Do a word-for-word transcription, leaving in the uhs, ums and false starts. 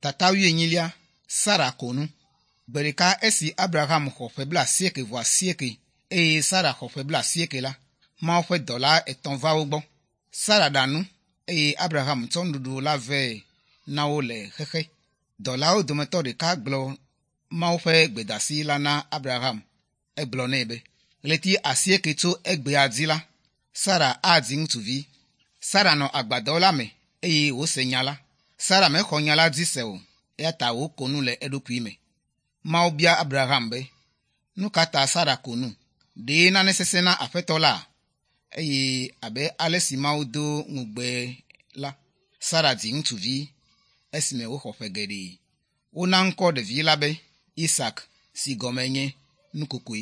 Tata wuienyilia, Sara ko nu. Gbe ɖeka esi Abraham xɔ ƒe blaasieke vɔ asieke eye Sara xɔ ƒe blaasieke la, Mawu ƒe dɔla etɔ̃ va wo gbɔ. Sara ɖa nu eye Abraham tsɔ nuɖuɖu la vɛ na wo le xexe. Dɔlawo dometɔ ɖeka gblɔ Mawu ƒe gbedasi la na Abraham. Egblɔ nɛ be, ɣleti asieke tso egbea dzi la, Sara adzi ŋutsuvi. Sara nɔ agbadɔ la me eye wòse nya la. Sara mexɔ nya la dzi se o eya ta wòko nu le eɖokui me. Mawu bia Abraham be, nu ka ta Sara ko nu? Ɖe nane sesẽ na Aƒetɔ la? Eye abe ale si Mawu do ŋugbe la, Sara dzi ŋutsuvi esime wòxɔ ƒe geɖe. Wona ŋkɔ ɖevi la be Isak si gɔme nye nukokoe.